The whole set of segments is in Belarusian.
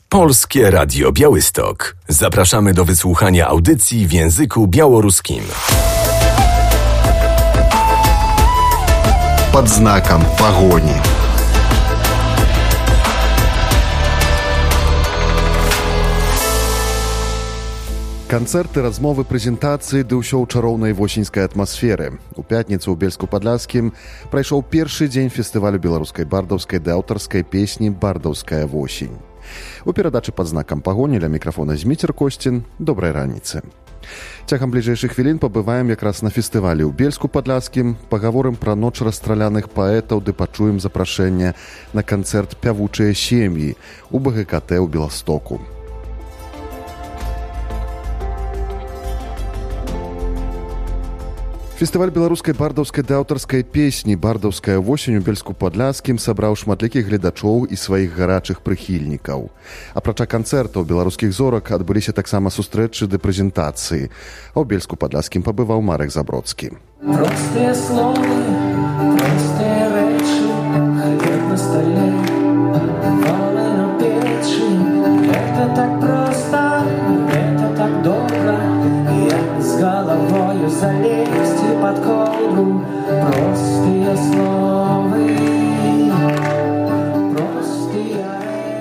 Polskie Radio Białystok. Zapraszamy do wysłuchania audycji w języku białoruskim. Под знаком погони. Канцэрты, размовы, прэзентацыі ды ўсё ў чароўнай восеньскай атмасферы. У пятніцу ў Бельску-Падляскім прайшоў першы дзень фестывалю беларускай бардаўскай ды аўтарскай песні «Бардаўская восень». У перадачы «Пад знакам пагоні» ля мікрафона Зміцер Косцін. Добрай раніцы. Цягам бліжэйшых хвілін пабываем якраз на фестывалі ў Бельску-Падляскім, пагаворым пра ноч расстраляных паэтаў ды пачуем запрашэнне на канцэрт «Пявучыя сем'і» у БГКТ ў Беластоку. Фестываль беларускай бардаўскай ды аўтарскай песні «Бардаўская восень» у Бельску-Падляскім сабраў шматлікіх гледачоў і сваіх гарачых прыхільнікаў. Апрача канцэртаў беларускіх зорак адбыліся таксама сустрэчы ды прэзентацыі. А ў Бельску-Падляскім пабываў Марек Забродскі. Простыя словы, простыя рэчы, хлеб на стале, валы на печы. Гэта так проста, гэта так добра, як з галавою залезть под ковдру. Простые словы, простые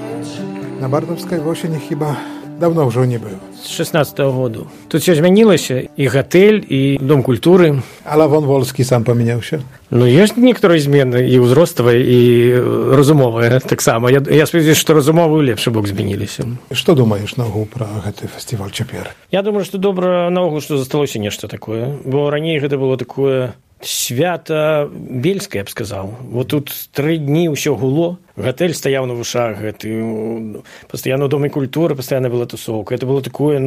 речи. На бардаўскай восені хіба давно ўжо не быў. З 16-го году. Тут все змянілася, і гатэль, і дом культуры. А Лавон Волскі сам памяняўся? Ну, ёсць некаторыя змены, і ўзроставыя, і разумовыя таксама. Я спадзяюся, што разумовы ў лепшы бок змяніліся. Што думаеш наогул пра гэты фестываль цяпер? Я думаю, што добра наогул, што засталося нешта такое. Бо раней гэта было такое свята бельскае, я б сказаў. Вот тут 3 дні ўсё гуло. Гатэль стаяў на вушах, пастаянна ў доме культуры, пастаянна была тусоўка. Это было такое,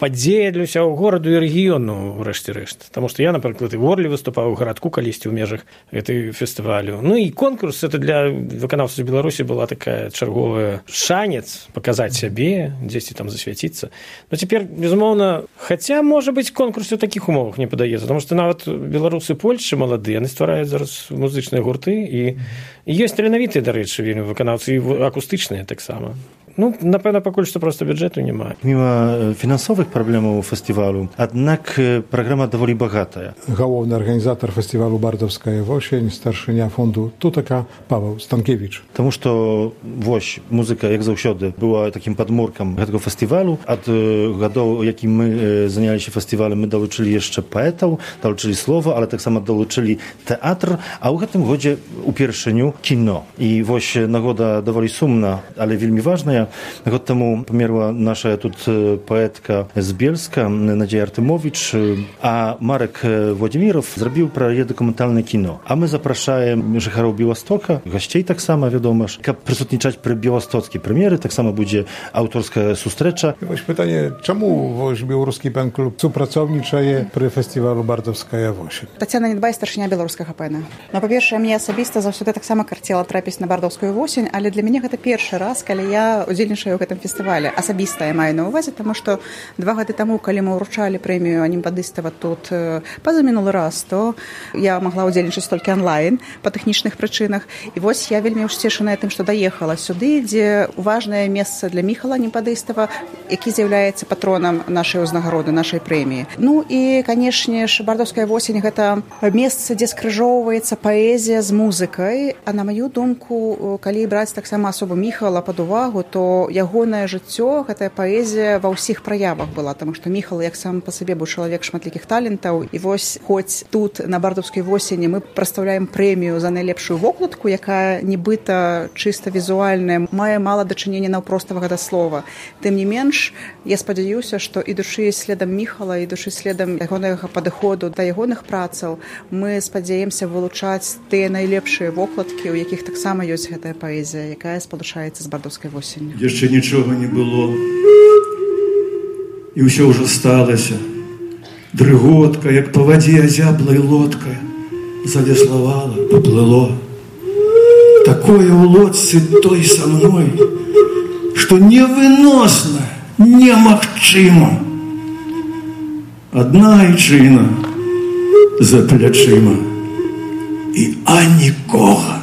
падзея для ўсяго гораду і рэгіёну, рэшце-рэшт. Таму што я, напрыклад, і в Орле выступаў у гарадку калісьці ў межах гэтай фестывалю. Ну і конкурс, это для выканаўцаў Беларусі была такая чарговая шанец паказаць сябе, дзесьці там засвяціцца. Но цяпер, безумоўна, хаця, можа быць, конкурс у такіх умовах не падаецца, таму што нават беларусы Польшчы маладыя, яны ствараюць зараз музычныя гурты, і ёсць таленавітыя, дарэчы, вельмі выканаўцы, і акустычныя таксама. Напэўна, пакуль што проста бюджэту няма. Міма фінансовых праблемаў фестывалю, аднак праграма даволі багатая. Галоўны арганізатар фестывалю «Бардаўская восень», старшыня фонду «Тутака» Павел Станкевич. Таму што музыка, як заўсёды, была такім падмуркам гэтага фестывалю. Ад гадоў, якім мы заняліся фестывалем, мы далучылі яшчэ паэтаў, далучылі слова, але таксама далучылі тэатр, а ў гэтым годзе упершыню кіно. І нагода даволі сумна, але вельмі важная. Год таму памерла наша тут паэтка з Бельска, Надзея Артэмовіч, а Марек Владзіміров зрабіў пра яе дакументальнае кіно. А мы запрашаем жыхароў Беластока, гасцей таксама, вядома ж, каб прысутнічаць пры беластоцкай прэм'еры, таксама будзе аўторская сустрэча. Пытанне, чаму беларускі пен-клуб супрацоўнічае пры фестывалю «Бардаўская восень»? Тацяна Недбай, старшыня беларускага пэна. Па-першае, мне асабіста заўсёды таксама карцела трапіць на «Бардаўскую восень», але для мяне гэта першы раз, калі я удзельнічаю ў гэтым фестывале. Асабіста я маю на ўвазе, таму што 2 гады таму, калі мы ўручалі прэмію анімпадыстава тут пазамінулы раз, то я магла удзельнічаць толькі онлайн па тэхнічных прычынах. І я вельмі ўсцешаная тым, што даехала сюды, дзе важнае месца для Міхала Анімпадыстава, які з'яўляецца патронам нашай узнагароды, нашай прэміі. І, канешне ж, «Бардаўская восень» гэта месца, дзе скрыжоўваецца паэзія з музыкай. А на маю думку, калі браць таксама асобу Міхала пад увагу, то ягонае жыццё, гэтая паэзія ва ўсіх праявах была, таму што Міхал, як сам па сабе, быў чалавек шматлікіх талентаў. І хоць тут на «Бардаўскай восені» мы прадстаўляем прэмію за найлепшую вокладку, якая нібыта чыста візуальная, мае мала дачынення наўпроставага да слова. Тым не менш, я спадзяюся, што ідучы следам Міхала, ідучы следам ягонага падыходу да ягоных працаў, мы спадзяемся вылучаць тыя найлепшыя вокладкі, у якіх таксама ёсць гэтая паэзія, якая спалучаецца з «Бардаўскай восенню». Яшчэ нічога не было, і ўсё ўжо сталася. Дрыготка, як па вадзе азяблай лодка, залеславала, поплыло. Такое ў лодцы той са мной, што невыносна, немагчыма. Адна айчына за плячыма і анікога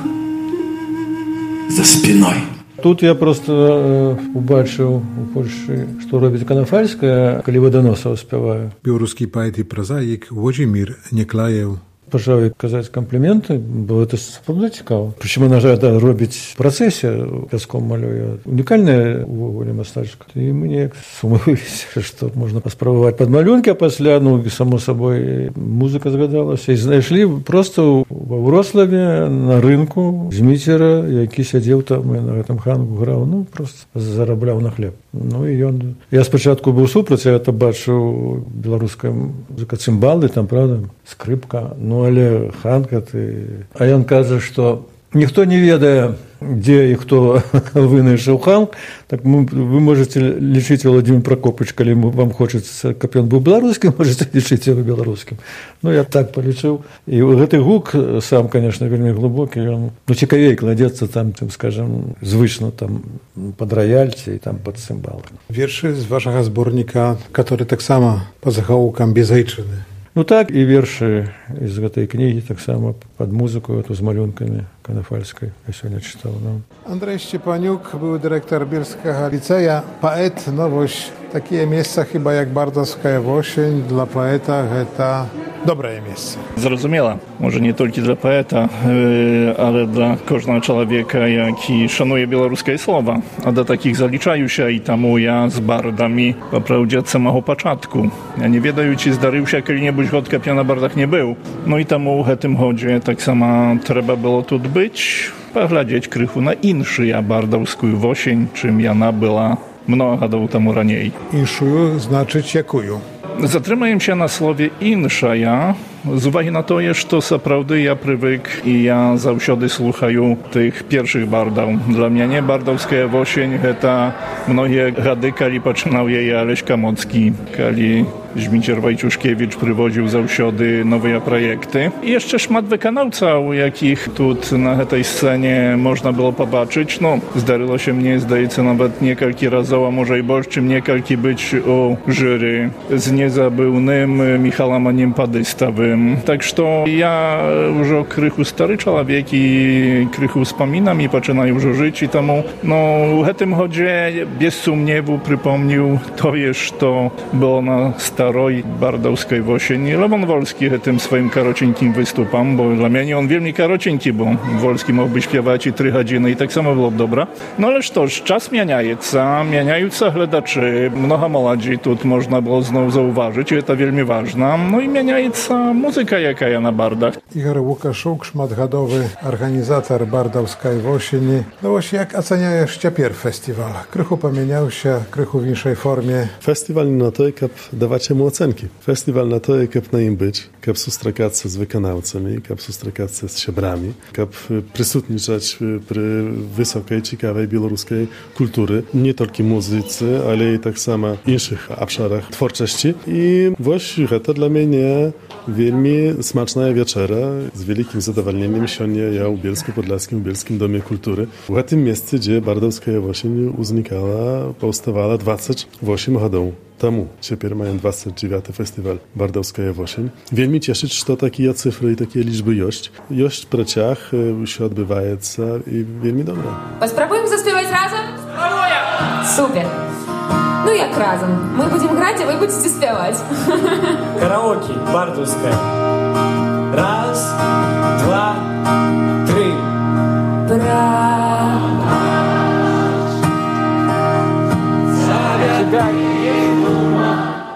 за спиной. Тут я просто убачыў у Польшчы, што робіць Канафальская, калі Ваданосаў спяваю. Беларускі паэт і празаік Владзімір Няклаеў пачаў казаць кампліменты, бо это сапраўды цікава. Прычым яна робіць працэсе, пяском малюе. Унікальная увогуле мастачка. І мы неяк сумовіліся, што можна паспрабаваць падмалюнкі, а пасля, само сабой, музыка згадалася. І знайшлі проста ва Вроцлаве на рынку Зміцера, які сядзеў там і на гэтым хангу граў, проста зарабляў на хлеб. І ён... Я спачатку быў супраць, я это бачыў беларуская музыка, цымбалы, там, правда, скрыпка, але ханка ты... А ён кажа, што ніхто не ведае, дзе і хто вынайшаў ханк, так вы можете лічыць Владзімір Пракопыч, калі вам хочацца, каб ён быў беларускім, можете лічыць яго беларускім. Я так палічыў. І гэты гук сам, конечно, вельмі глыбокі, ён цікавей кладзецца там, скажем, звычна там пад раяльці і там пад цымбалы. Вершы з вашага зборніка, который таксама па загавукам безайчыны. Так, і вершы з гэтай кнігі таксама пад музыку, з малюнкамі Канафальскай, я сёння чытаў. Андрэй Шчепанюк, były dyrektor Bielskiego Liceja, poet, nowość. Takie miejsca chyba jak Bardowska Wosień dla poeta to dobre miejsce. Зразумела, może nie tylko dla poeta, ale dla każdego człowieka, jaki szanuje białoruskie słowa. A do takich zaliczają się i tamu ja z bardami poprawdzie od samego początku. Ja nie wiedаю, czy zdarzył się kiedy-niebudź chodka na bardach nie był. I tamu w tym chodzie tak samo trzeba było tu być, poglądać krychu na inszy ja bardowską Wosień, czym jana była mnogo lat temu raniej. Inszuju znaczyć jakuju. Zatrzymaję się na słowie inszaja, z uwagi na to, że to naprawdę ja prywyk i ja zawsiody słuchają tych pierwszych bardów. Dla mnie nie bardowska Wosień, to mnogie gady, kali poczynał jej Aleś Kamocki, kali Zmicier Wajciuszkiewicz prywodził zawsiody nowe projekty. I jeszcze szmat wykonawców, jakich tu na tej scenie można było pobaczyć. Zdarzyło się mnie, zdaje się, nawet niekalki razowo, a może i bożczym niekalki być u jury z niezabywnym Michałem Aniem Padystawym. Tak, że ja już o krychu stary człowiek i krychu wspominam i zaczynam już żyć i temu, w tym chodzie bez sumniewu przypomnił to jest, to było na staroj bardowskiej Wosień. Lewon Wolski tym swoim karocieńkim wystupam, bo dla mnie on wielmi karocieńki, bo Wolski mógłby śpiewać i 3 godziny i tak samo było dobra. Ależ toż czas mieniająca gledaczy, mnoha młodzi tu można było znowu zauważyć i to wielmi ważne. I mieniająca muzyka jaka ja na bardach. Igor Łukaszuk, szmatgadowy organizator Bardowskiej Wosieni. Właśnie jak oceniajesz ciepierw festiwal? Krychu pomieniał się, krychu w inszej formie. Festiwal na to, jak dawać mu ocenki. Festiwal na to, jak na nim być, jak sustrzegać się z wykonawcami, jak sustrzegać się z siebrami, jak przysutniczać przy wysokiej, ciekawej białoruskiej kultury. Nie tylko muzycy, ale i tak samo w innych obszarach twórczości. I właśnie to dla mnie wielmi smaczna wieczera. Z wielkim zadowoleniem siądzie ja u Bielsku-Podlaskim, w Bielskim Domie Kultury. W tym miejscu, gdzie Bardowska Wosień uznikała, powstawała 28 lat temu. Teraz mają 29. festiwal Bardowska Wosień. Wielmi cieszyć, że takie cyfry i takie liczby jość praciach się odbywają i wielmi dobre. Spróbujemy zaśpiewać razem? Super. Jak razem? My będziemy grać, a wy będziecie śpiewać. Karaoke, Bardowska. Raz, dwa, trzy.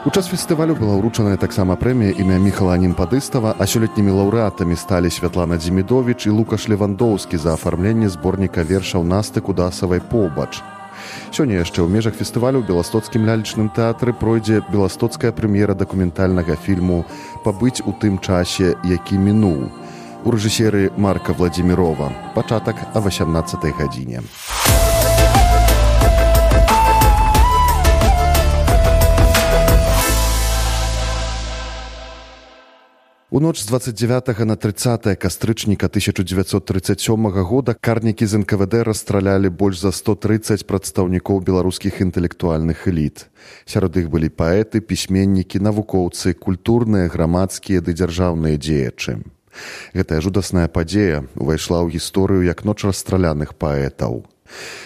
У час фестывалю была ўручаная таксама прэмія імя Міхала Анім-Падыстава, а сёлетнімі лаўрэатамі сталі Святлана Дзімідовіч і Лукаш Левандоўскі за афармленне зборніка вершаў Насты Кудасавай «Побач». Сёння яшчэ ў межах фестывалю ў Беластоцкім лялечным тэатры пройдзе беластоцкая прэм'ера дакументальнага фільму «Пабыць у тым часе, які мінуў» у рэжысеры Марка Владзімірова. Пачатак о 18 гадзіне. У ноч з 29 на 30 кастрычніка 1937 года карнікі з НКВД расстралялі больш за 130 прадстаўнікоў беларускіх інтэлектуальных эліт. Сярод іх былі паэты, пісьменнікі, навукоўцы, культурныя, грамадскія ды дзяржаўныя дзеячы. Гэтая жудасная падзея увайшла ў гісторыю як ноч расстраляных паэтаў.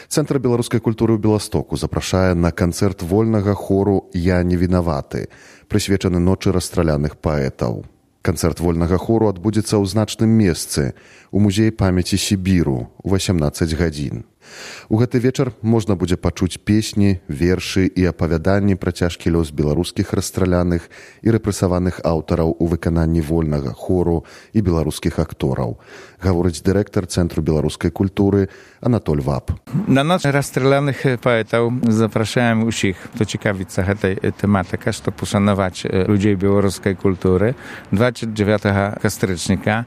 Цэнтр беларускай культуры ў Беластоку запрашае на канцэрт вольнага хору «Я не вінаваты», прысвечаны ночы расстраляных паэтаў. Канцэрт вольнага хору адбудзецца ў значным месцы, у музеі памяці Сібіру, у 18 гадзін. У гэты вечар можна будзе пачуць песні, вершы і апавяданні пра цяжкі лёс беларускіх расстраляных і рэпрэсаваных аўтараў у выкананні вольнага хору і беларускіх актораў, гаворыць дырэктар Цэнтру беларускай культуры Анатоль Вап. На ноч расстраляных паэтаў запрашаем усіх, хто цікавіцца гэтай тэматыкай, што пашанаваць людзей беларускай культуры 29 кастрычніка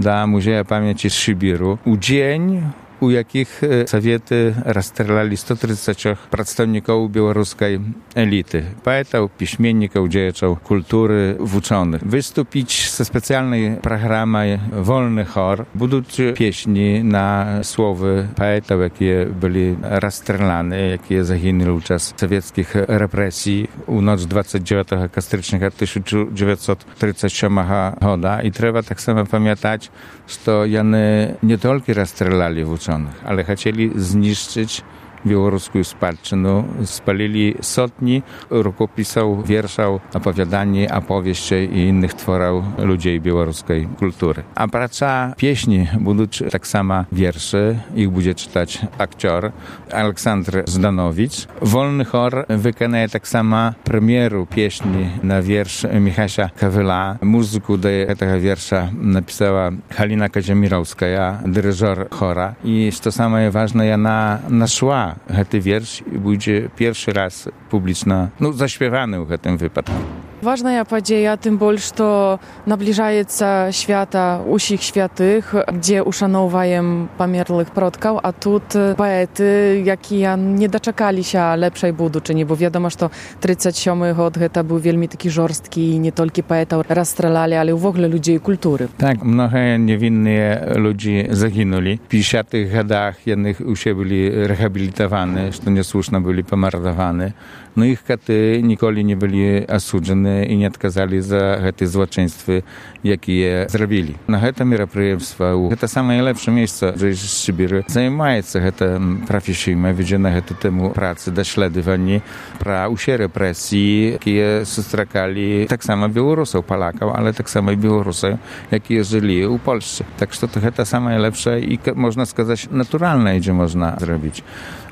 да музея памяці Сібіру. У дзень, у якіх саветы расстралялі 130 прадстаўнікоў беларускай эліты, паэтаў, пісьменнікаў, дзеячаў культуры, вучоных. Выступіць са спецыяльнай праграмай «Вольны хор». Будуць песні на словы паэтаў, якія былі расстраляныя, якія загінулі ў час савецкіх рэпрэсій у ноч 29 кастрычніка 1937 года. І трэба таксама памятаць, што яны не толькі расстралялі вучоных, ale chcieli zniszczyć białoruską spадщину, spalili sotni rukopisów, wierszów, opowiadań, opowieści i innych tworów ludzi białoruskiej kultury. A praca pieśni będą tak samo wiersze, ich będzie czytać aktor Aleksandr Zdanowicz. Wolny chor wykonaje tak samo premieru pieśni na wiersz Michasia Kawyla. Muzyku do tego wiersza napisała Halina Kazimierowska, dyryżor chora. I co samo ważne, ona naszła гэты верш і будзе першы раз публічна заśpiewany ў гэтым выпадку. Ważna падзея, тым больш, што набліжаецца свята ўсіх святых, дзе ушаноўваем памерлых продкаў, а тут паэты, якія не дачакаліся лепшай будучыні, бо вядома, што 37 год гэта быў вельмі такі жорсткі, і не толькі паэтаў расстралялі, але ўвогуле людзей культуры. Так, многія невінныя людзі загінулі. В 50-х годах яны ўсе былі рэхабілітаваны, што няслушна былі памардаваны. Но іх каты ніколі не былі асуджаны і не адказалі за гэтыя злачынствы, якія зрабілі. На гэта мерапрыемства, гэта самае лепшае месца з Сібіры, займаецца гэта прафесійна, вядзе на гэту тэму працы, даследаванні пра ўсе рэпрэсіі, якія сустракалі таксама беларусаў, палакаў, але таксама і беларусаў, якія жылі ў Польшчы. Так што гэта самае лепшае і, можна сказаць, натуральнае, дзе можна зрабіць.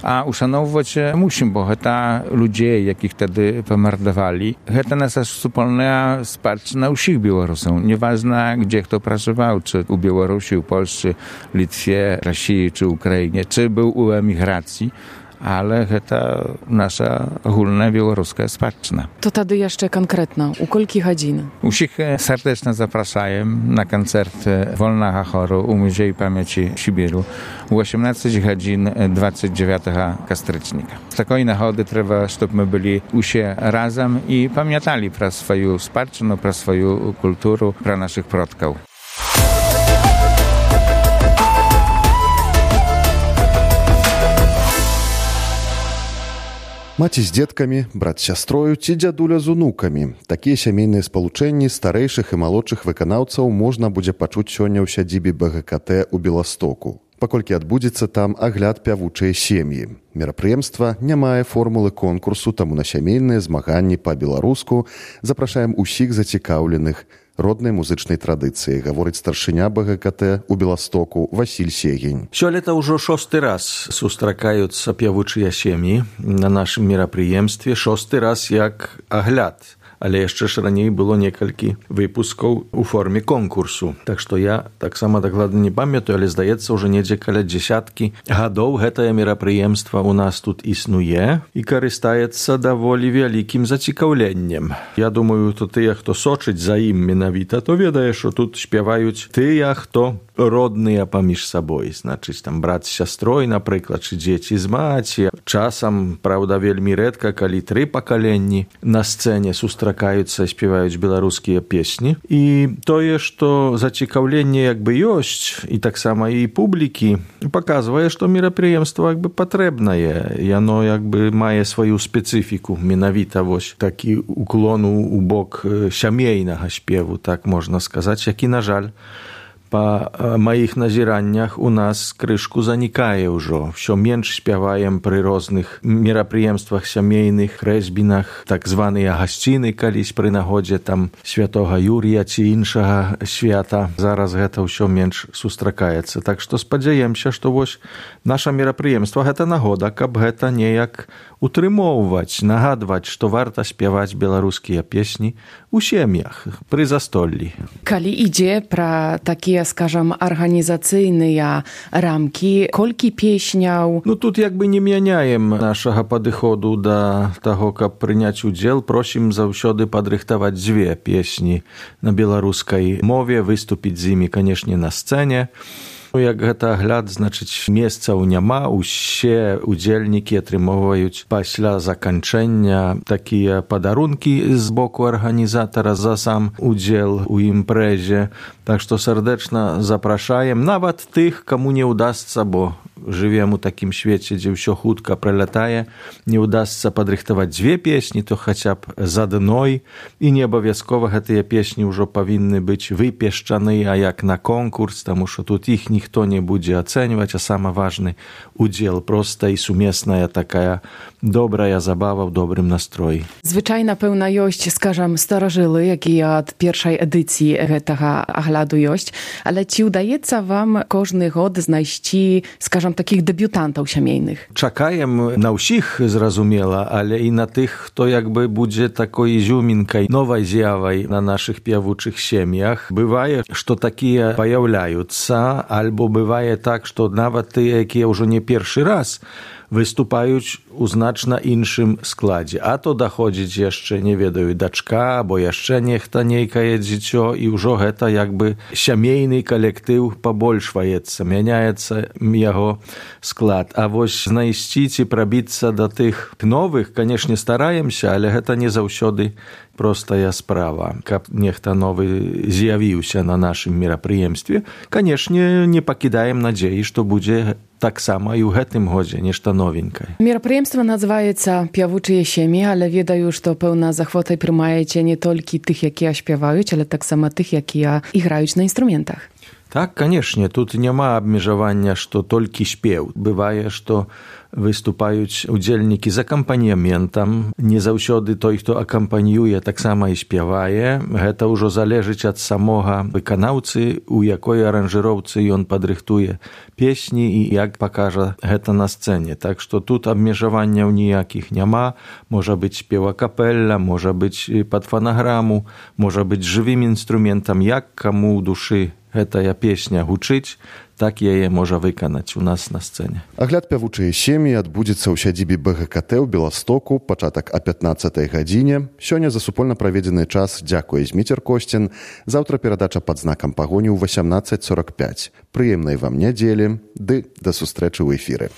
А ушаноўваць мусім, бо гэта людзей, якіх тады памардавалі. Гэта наша супольная спадчына ўсіх беларусаў. Неважна, дзе хто пражываў, чи у Беларусі, у Польшчы, Літве, Расіі, чи Украіне, чи быў у эміграцыі. Ale гэта наша агульная беларуская спадчына. То тады яшчэ канкрэтна, у колькі гадзін? Усіх сардэчна запрашаем на канцэрт вольнага хору у музеі памяці Сібіру у 18 гадзін 29 кастрычніка. З такой нагоды трэба, щоб мы былі усе разам і памяталі пра сваю спадчыну, пра сваю культуру, пра нашых продкаў. Маці з дзеткамі, брат з сястрою ці дзядуля з унукамі. Такія сямейныя спалучэнні старэйшых і малодшых выканаўцаў можна будзе пачуць сёння ў сядзібе БГКТ у Беластоку. Паколькі адбудзецца там агляд пявучай сем'і. Мерапрыемства не мае формулы конкурсу, таму на сямейныя змаганні па-беларуску запрашаем усіх зацікаўленых роднай музычнай традыцыі, гаворыць старшыня БГКТ у Беластоку Васіль Сегень. Сёлета ўжо 6-й раз сустракаюцца пявучыя сем'і на нашым мерапрыемстве, 6-й раз як агляд. Але яшчэ ж раней было некалькі выпускаў у форме конкурсу. Так што я таксама дакладна не памятаю, але здаецца, ўжо недзе каля 10 гадоў гэтае мерапрыемства у нас тут існуе і карыстаецца даволі вялікім зацікаўленнем. Я думаю, то тыя, хто сочыць за ім менавіта, то ведае, што тут спяваюць тыя, хто родныя паміж сабой. Значыць, там брат з сястрой, напрыклад, чи дзеці з маці. Часам, праўда, вельмі рэдка, калі 3 пакаленні на сцэне сустракаюцца і спяваюць беларускія песні. І тое, што зацікаўленне як бы ёсць, і таксама і публікі, паказвае, што мерапрыемства як бы патрэбнае. Яно як бы мае сваю спецыфіку. Менавіта вось такі уклон у бок сямейнага спеву, так можна сказаць, які, на жаль, Па маіх назіраннях у нас крышку занікае ўжо. Всё менш спяваем пры розных мерапрыемствах сямейных, хрэсьбінах, так званыя гасціны калісь пры нагодзе там святога Юрія ці іншага свята. Зараз гэта ўсё менш сустракаецца. Так што спадзяемся, што вось наша мерапрыемства гэта нагода, каб гэта неяк утрымоўваць, нагадваць, што варта спяваць беларускія песні у сем'ях пры застоллі. Калі ідзе пра такія, скажам, арганізацыйныя рамкі, колькі песняў? Ну, тут як бы не мяняем нашага падыходу да таго, каб прыняць удзел. Просім заўсёды падрыхтаваць 2 песні на беларускай мове, выступіць з імі, канешне, на сцэне. Як гэта агляд, значыць, месцаў няма, усе удзельнікі атрымоўваюць пасля заканчэння такія падарункі з боку арганізатара за сам удзел у імпрэзе. Так што сардэчна запрашаем нават тых, каму не ўдасца, бо жывем у такім свеце, дзе ўсё хутка пралятае, не ўдасца падрыхтаваць 2 песні, то хаця б з адной, і не абавязкова гэтыя песні ўжо павінны быць выпешчаны, а як на конкурс, таму што тут іх ніхто не будзе ацэньваць, а самы важны удзел, проста і сумесная такая добрая забава ў добрым настроі. Звычайна, пэўна, ёсць, скажам, старажылы, якія ад першай эдыцыі гэтага агляду ёсць, але ці ўдаецца вам кожны год знайсці, скажам, такіх дэбютантаў сямейных? Чакаем на ўсіх, зразумела, але і на тых, хто як бы будзе такой ізюмінкай, новай з'явай на нашых пявучых сем'ях. Бывае, што такія паяўляюцца, альбо бывае так, што нават тыя, якія ўжо не першы раз выступаюць у значна іншым складзе. А то даходзіць яшчэ, не ведаю, дачка, або яшчэ нехта нейкае дзіцё, і ўжо гэта як бы сямейны калектыў пабольшваецца, мяняецца яго склад. А вось знайсці ці прабіцца да тых новых, канешне, стараемся, але гэта не заўсёды простая справа. Каб нехта новы з'явіўся на нашым мерапрыемстве, канешне, не пакідаем надзеі, што будзе таксама і ў гэтым годзе нешта новенькае. Мерапрыемства называецца «Пявучыя сем'і», але ведаю, што, пэўна, з ахвотай прымаеце не толькі тых, якія спяваюць, але таксама тых, якія іграюць на інструментах. Так, канешне, тут няма абмежавання, што толькі спеў. Бывае, што выступаюць удзельнікі з акампанементам. Не заўсёды той, хто акампаньюе, таксама і спявае. Гэта ўжо залежыць ад самога выканаўцы, у якой аранжыроўцы ён падрыхтуе песні і як пакажа гэта на сцэне. Так што тут абмежаванняў ніякіх няма. Можа быць спева капэлля, можа быць пад фанаграму, можа быць жывым інструментам, як каму ў душы гэтая песня гучыць, так яе можа выканаць у нас на сцэне. Агляд «Пявучыя сем'і» адбудзецца ў сядзібе БГКТ ў Беластоку, пачатак о 15-й гадзіне. Сёння за супольна праведзены час дзякуе Зміцер Косцін. Заўтра перадача пад знакам пагоні ў 18:45. Прыемнай вам нядзелі, ды да сустрэчы ў эфіры.